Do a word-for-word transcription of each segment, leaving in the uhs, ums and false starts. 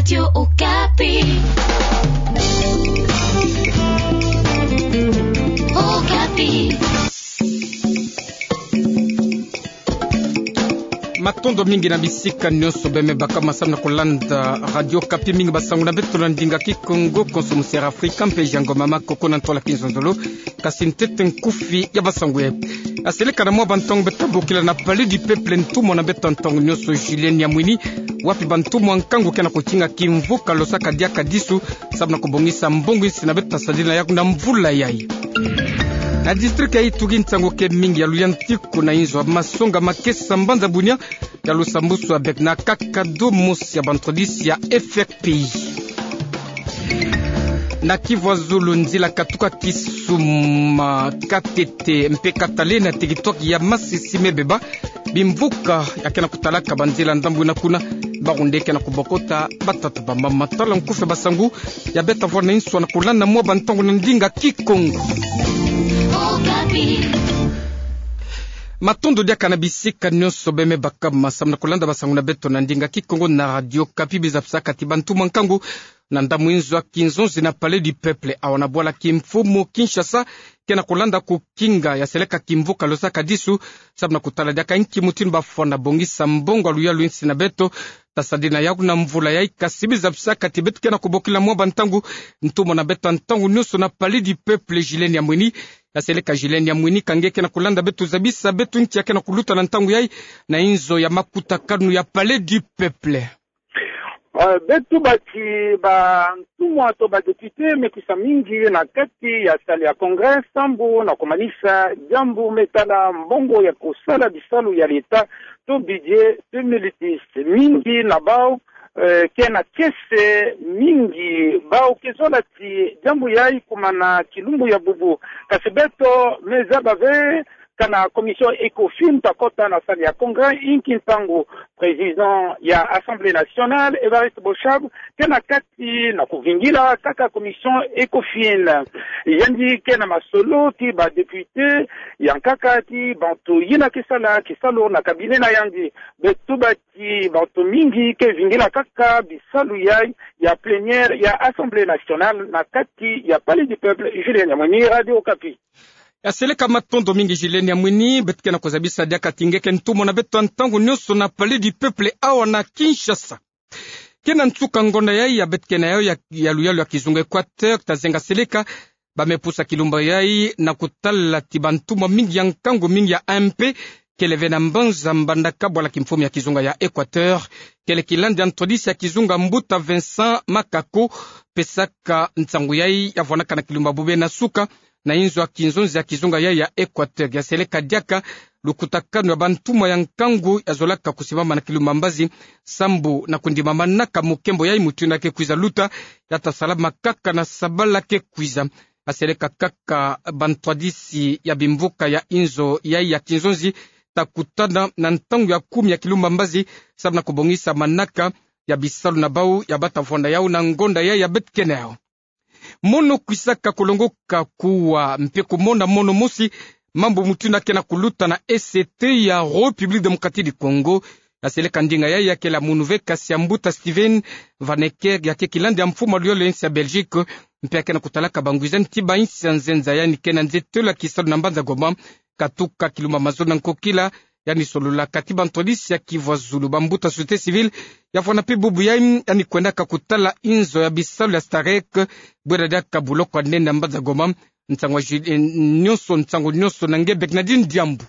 Radio Okapi. Okapi. Matondo mingi na bisika nyonso beme baka masamu na kulanda Radio Okapi. Mingi basangu na beto na ndinga Kikongo, konso mu Sierra Afrika, mpe Jango Mama Koko na ntola Kinzonzolo. Kasi ntete nkufi ya basangu e. Aseleka na mwa bantangu beto bokila na Palais du Peuple ntumwa na beto ntangu nyonso Julien Nyamwini, wapi bantumwa nkangu ke na kutinga kimvuka losaka diaka disu, sababu na kubongisa mbongo insi na beto ta sadila yaku na mvula yai. Na district ya Ituri ntangu ke mingi ya luyantiku na inzo ya masonga makesa mbanza bunia ya lusambusu avec na kaka domo ya bantrodisi ya F R P I. Na Kivu ya Zulu nzila katuka Kisuma, Katete mpe Katale na territoire ya Masisi me beba bimvuka ya ke na kutalaka banzila ndambu na kuna. Bawu nde ke na kubokota batata bamama. Tala nkufi ya basangu ya beto ta vwanda na inso na kulanda mwa bantangu na ndinga Kikongo. Matondo diaka na bisika nyonso beme baka masamu na kulanda basangu na beto na ndinga Kikongo na Radio Okapi. Biza psa kati bantumwa nkangu na ndambu inzo ya kinzonzi na Palais du Peuple, awa na bwala kimfumu Kinshasa, ke na kulanda kukinga ya seleka kimvuka losaka disu, sababu na kutala diaka nki mutindu bafwana bongisa mbongo ya luyalu insi na beto ta sadila yaku na mvula yai. Kasi biza psa kati beto ke na kubokila mwa bantangu ntumwa na beto ntangu nyonso na Palais du Peuple Julien Nyamwini. Ya seleka Julien Nyamwini, ka nge ke na kulanda beto, zabisa beto nki ya ke na kuluta na ntangu yai na inzo ya makutakanu ya Palais du Peuple. Eh, beto bati bantumwa to badepute me kwisa mingi na kati ya salle ya Congrès sambu na kumanisa diambu me tala mbongo ya kusala bisalu ya l'État to budget deux mille dix. Mingi na bawu, eh, ke na kese mingi, bawu ke zola ti diambu yai kumana kilumbu ya bubu. Kasi beto me zaba ve kana commission Ecofin ta kota na salle ya Congrès inki ntangu président ya Assemblée nationale, Évariste Boshab, ke na kati na kuvingila kaka commission Ecofin. Yandi ke na masolo ti badepute ya nkaka ti bantu yina ke sala kisalu na cabinet na yandi. Beto bati bantu mingi ke vingila kaka bisalu yai ya plénière ya Assemblée nationale na kati ya Palais du Peuple. Julien Nyamwini, Radio Okapi. Ya seleka, matondo mingi Julien Nyamwini. Beto ke na kuzabisa diaka ti nge ke ntumwa na beto ntangu nyonso na Palais du Peuple awa na Kinshasa. Ke na nsuka ngonda yai ya beto ke na yayo ya, ya luyalu ya kizunga Équateur, ta zenga seleka ba me pusa kilumbu yai na kutala ti bantumwa mingi ya nkangu mingi ya A M P kele ve na mbanza Mbandaka, bwala kimfumu ya kizunga ya Équateur, kele kilandi ya ntwadisi ya kizunga Mbuta Vincent Makako, pesaka nsangu yai ya vwanaka na kilumbu ya bubena suka na inzo ya kinzonzi ya kizunga yai ya Équateur. Ya seleka diaka lukutakanu ya bantumwa ya nkangu ya zolaka kusimama na kilumbu ya mbazi, sambu na kundima manaka mu nkembo yai mutindu ya ke kwiza luta, ya ta salama kaka na sabala ke kwiza. Ya seleka kaka bantwadisi ya bimvuka ya inzo yai ya kinzonzi ta kutana na ntangu ya kumi ya kilumbu ya mbazi, sababu na kubongisa manaka ya bisalu na bawu ya ba ta vwanda yawu na ngonda yai ya beto ke na yayo. Mono kwisaka kulongoka kuwa mpe kumona mono mosi, mambu mutindu ya ke na kuluta na E C T ya République Démocratique du Congo. Ya seleka ndinga yai ya kele ya munu ve, kasi ya Mbuta Steven Van Ecker, ya ke kilandi ya mfumu ya luyalu ya insi ya Belgique, mpe ya ke na kutalaka bangwizani ti bainsi ya nzenza, yandi ke na nzetelo ya kisalu na mbanza Goma, katuka kilumbu ya mazono na nkokila, yandi solola kati bantwadisi ya Kivu ya Zulu, bambuta société civile, ya vwanda mpe bubu yai, yandi kwendaka kutala inzo ya bisalu ya Starec, bwera diaka buloko ya nene na mbanza Goma. Nsangu ya Ju-, eh, nyonso, nsangu nyonso na nge Bernardine Diambu.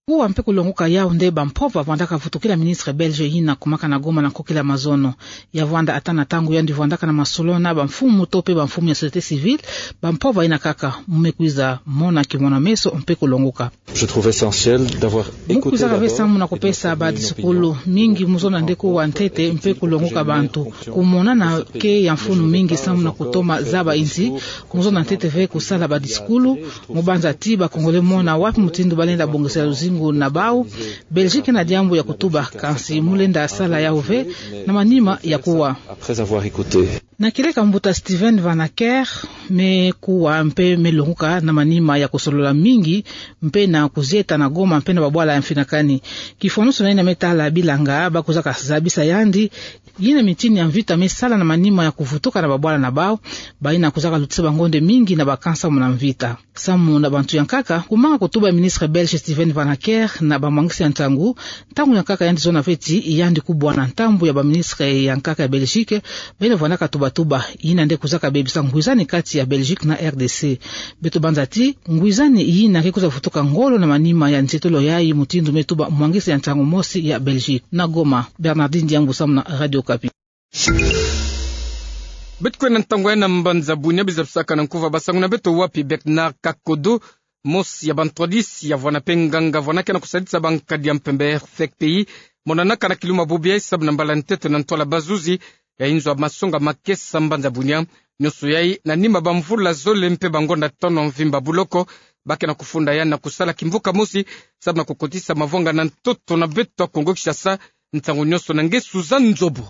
Kuwa mpe kulongoka yau nde bampova vwandaka vutukila ministre belge yina kumaka na Goma na nkokila mazono. Ya vwanda ata na ntangu yandi vwandaka na masolo na bamfumu to mpe bamfumu ya société civile, bampova yina kaka mu me kwiza mona kimona-meso mpe kulongoka. Je trouve essentiel d'avoir écouté d'abord et de s'informer au minimum. Mu kwizaka ve samu na kupesa badisukulu mingi mu zonza nde kuwa ntete mpe kulongoka bantu. Kumona na ke ya mfunu mingi samu na kutoma zaba insi, mu zonza ntete ve kusala badisukulu, mu banza ti ba Congolais mona wapi mutindu balenda bongisela luzingu na bau. Belgique na diambu ya kutuba, kansi mu lenda sala yau ve na manima ya kuwa. Après avoir écouté. Na kieleka mbuta Steven Van Acker, me kuwa mpe me longoka na manima ya kusolola mingi, mpe na kuzieta na Goma, mpe na babwala ya mfinakani. Kifwanusu na yina me tala bilanga, ba kwizaka zabisa yandi, Yina mitini ya mvita me sala na manima ya kuvutuka na babwala na bau, bayina kuzaka lutisa bangonde mingi na bakansa muna mvita. Samu na bantu ya nkaka, kumanga kutuba ya ministre belge Steven Van Acker na bamwangisi ya ntangu, ntangu ya nkaka yandi zona ve ti yandi kubwana ntambu ya baministre ya nkaka ya Belgique, bayina vandaka tubatuba, yina nde kuzaka bebisa ngwizani kati ya Belgique na R D C. Beto banza ti, ngwizani yina ke kwiza vutuka ngolo na manima ya nzietolo yayi, mutindu me tuba mwangisi ya ntangu mosi ya Belgique. Na Goma, Bernardine Diangu samu na Radio Okapi. Beto kwenda ntangu ya na mbanza Bunia, biza bisaka na nkuva basangu na beto wapi Bernard Kakodo, mosi ya bantwadisi yavwana mpe nganga vwana ke na kusadisa bankadi ya mpembe F P I, monanaka na kilumbu bubu yayi samu na mbala ntete na ntwala bazuzi ya inzo ya masonga makesa mbanza Bunia. Nionso yayi na nima bamvula zole mpe bangonda tano mvimba buloko, ba ke na kufunda yandi na kusala kimvuka mosi samu na kukotisa mavwanga na ntoto na beto ya Kongo Kinshasa. Nsangu nionso na nge Suzanne Nzobo.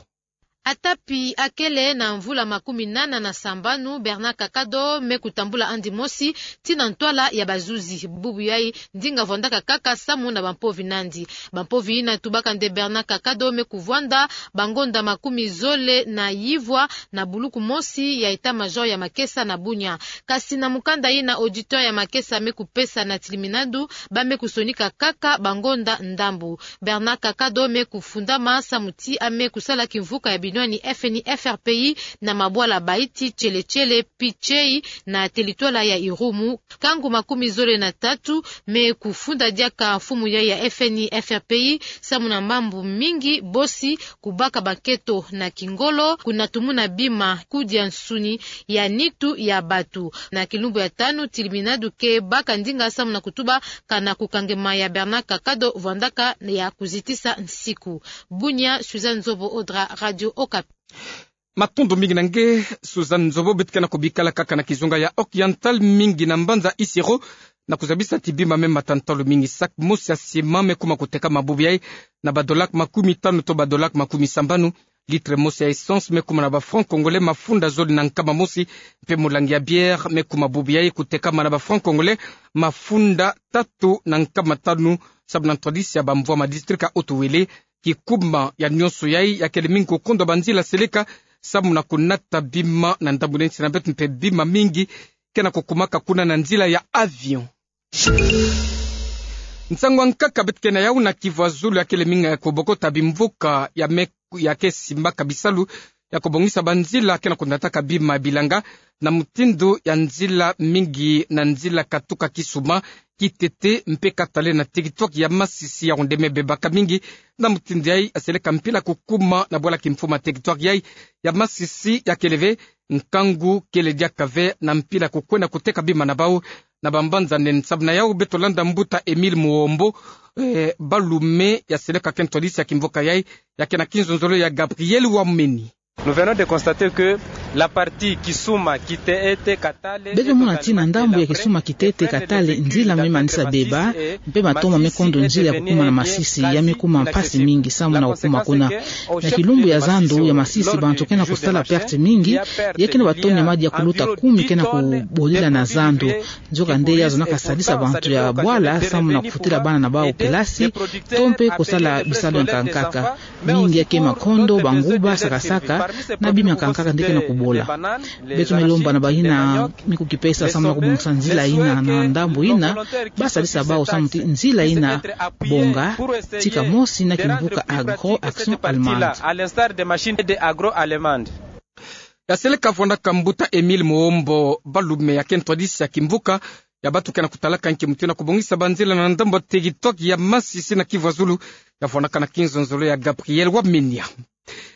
Atapi akele na mvula makumi nana na sambanu, Bernard Kakado me kutambula andi mosi tii na ntwala ya bazuzi. Bubu yayi, ndinga vwandaka kaka samu na bampovi nandi. Bampovi yina tubaka nde Bernard Kakado me kuvwanda bangonda makumi zole na yivwa na buluku mosi ya état-major ya makesa na Bunia. Kasi na mukanda yina auditeur ya makesa me kupesa na tiliminadu, ba me kusonika kaka bangonda ndambu. Bernard Kakado me kufundama samu ti a me kusala kimvuka ya binwani F N I F R P I na mabwala Baïti, Tchélétchelé, Pitshei na teritwala ya Irumu. Nkangu makumi zole na tatu me kufunda diaka mfumu yayi ya F N I F R P I samu na mambu mingi, bosi kubaka banketo na kingolo, kuna tumuna bima, kudia nsuni ya nitu ya batu. Na kilumbu ya tanu, tiliminadu ke baka ndinga samu na kutuba kana kukangema ya Bernard Kakado vwandaka ya kuzitisa nsiku. Bunia, Suzanne Nzobo Odra, Radio Okapi. Matondo mingi na nge Suzanne Nzobo. Beto ke na kubikala kaka na kizunga ya Oriental, mingi na mbanza Isiro, na kuzabisa ti bima me mata ntalu mingi. Sac mosi ya ciment me kuma kutekama bubu yayi na ba dollars makumi tanu to ba dollars makumi sambanu. Litre mosi ya essence me kuma na ba francs congolais mafunda zole na nkama mosi, mpe mulangi ya bière me kuma bubu yayi kutekama na ba francs congolais mafunda tatu na nkama tanu, samu na ntwadisi ya bamvwama district ya Haut-Uélé. Kikuma ya nionso yayi ya kele mingi kukondwa banzila seleka samu na kunata bima na ndambu neti na beto, mpe bima mingi ke na kukumaka kuna na nzila ya avion. Nsangu ya nkaka beto ke na yawu na Kivu ya Zulu ya kele mingi ya kubokota bimvuka ya me, ya ke simbaka bisalu ya kubongisa banzila ke na kunataka bima bilanga, na mutindu ya nzila mingi na nzila katuka Kisuma, Kitete mpe Katale na territoire ya Masisi, ya onde me bebaka mingi. Na mutindu yayi, ya seleka mpila kukuma na bwala kimfuma territoire yayi ya Masisi ya kele ve, nkangu kele diaka ve na mpila kukwenda kuteka bima na bawu na bambanza nene. Samu na yawu beto landa mbuta Emile Muombo, eh, Balume, ya seleka ke ntwadisi ya kimvuka yayi, ya ke na kinzonzolo ya Gabriel Wameni. Nous venons de constater que la partie Kisuma, Kitete, Katale. Beto mona ti na ndambu ya Kisuma, Kitete, Katale, nzila me manisa beba, mpe matoma me kondo nzila ya kukuma na Masisi, ya me kuma mpasi mingi samu na kukuma kuna. Na kilumbu ya zandu ya Masisi, bantu ke na kusala perte mingi, ya ke na ba tonnes ya madi ya kuluta kumi ke na kubodila na zandu. Nzokande ya zonaka sadisa bantu ya bwala samu na kufutila bana na bawu kelasi, to mpe kusala bisalu ya nkankaka. Mingi ya ke makondo, banguba, saka-saka, na bima ya nkankaka nde ke na kubola. Beto me lomba na bayina me kukipesa samu na kubongisa nzila yina na ndambu yina, ba sadisa bawu samu ti nzila yina bonga, tika mosi na kimvuka Agro Action Allemande. Ya seleka vwandaka mbuta Emile Muombo Balume, ya ke ntwadisi ya kimvuka ya bantu ke na kutalaka nki mutindu ya kubongisa banzila na ndambu ya territoire ya Masisi na Kivu ya Zulu, ya vwandaka na kinzonzolo ya Gabriel Wameni.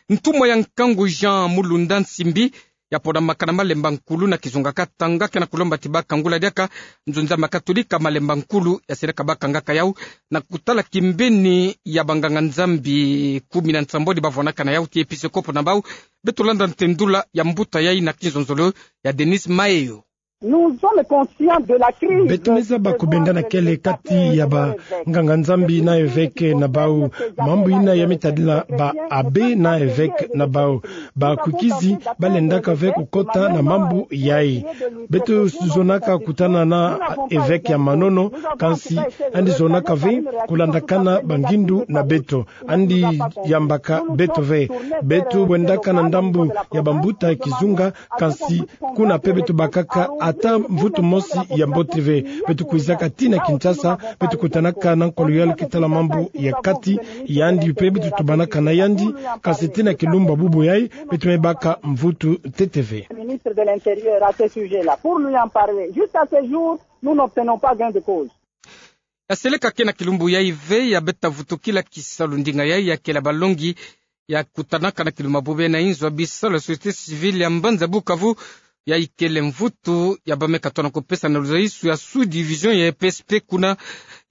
Ntumwa ya nkangu Jean Mulunda Nsimbi, ya ponamaka na Malemba Nkulu na kizunga Katanga, ke na kulomba ti ba kangula diaka nzunza ma Katolika Malemba Nkulu, ya seleka ba kangaka yawu na kutala kimbeni ya banganga-Nzambi kumi na nsambwadi ba vwandaka na yawu ti episkopo na bawu. Beto landa ntendula ya mbuta yayi na kinzonzolo ya Denis Maheyo. Nous sommes conscients de la crise. Beto meza ba kubendana kele kati ya banganga-Nzambi na évêque na bau. Mambu ina ya mitadila ba abbé na évêque na bau. Ba kwikizi balendaka ve kukota na mambu yayi. Beto zonaka kutana na évêque ya Manono, kansi yandi zonaka ve kulandakana bangindu na beto. Yandi yambaka beto ve. Beto bwendaka na ndambu ya bambuta ya kizunga, kansi kuna pe beto bakaka ata mvutu mosi ya mbote ve. Beto kwizaka tii na Kinshasa, beto kutanaka na nkolo ya leki tala mambu ya kati, yandi pe beto tubanaka na yandi, kansi tii na kilumbu bubu yayi, beto me baka mvutu ntete ve. Ministre de l'Intérieur à ce sujet-là, pour lui en parler. Jusqu'à ce jour, nous n'obtenons pas gain de cause. Ya seleka ke na kilumbu yayi ve, ya beta vutukila kisalu ndinga yayi ya kela balongi ya kutanaka na kilumbu bubu yayi na inzo ya bisalu ya société civile ya mbanza Bukavu, yayi kele mvutu ya ba me katoa na kupesa na luzaisu ya sous-division ya P S P, kuna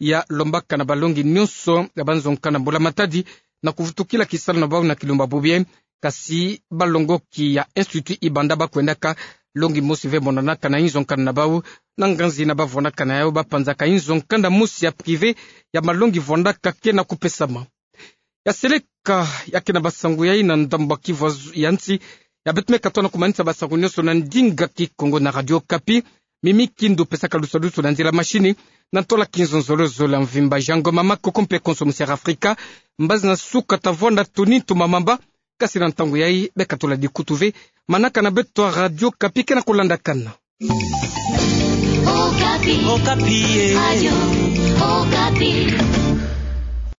ya lombaka na balongi nyonso ya banzo nkanda mbula-matadi na kuvutukila kisalu na bau na kilumbu bubu yayi. Kasi balongoki ya Institut Ibanda bakwendaka longi mosi ve monanaka na inzo nkanda na bau, na nganzi na bavonaka na yau bapanzaka inzo nkanda mosi ya privé ya malongi vwandaka ke na kupesama. Ya seleka ya ke na basangu yayi na ndambu ya Kivu ya nsi, ya beto me katoa na kumanisa basangu nyonso na ndinga Kikongo na Radio Okapi. Mimi Kindu pesaka lusadusu na nzila mashini, na ntola Kinzonzolo zola mvimba, Jean Ngoma Makoko mpe konso musiara Afrika. Mbazi na suka tavwanda Tony Ntoma Mamba, kasi na ntangu yayi beka tula dikutu ve manaka na beto ya Radio Okapi ke na kulandakana. Okapi. Okapi, eh. Radio Okapi.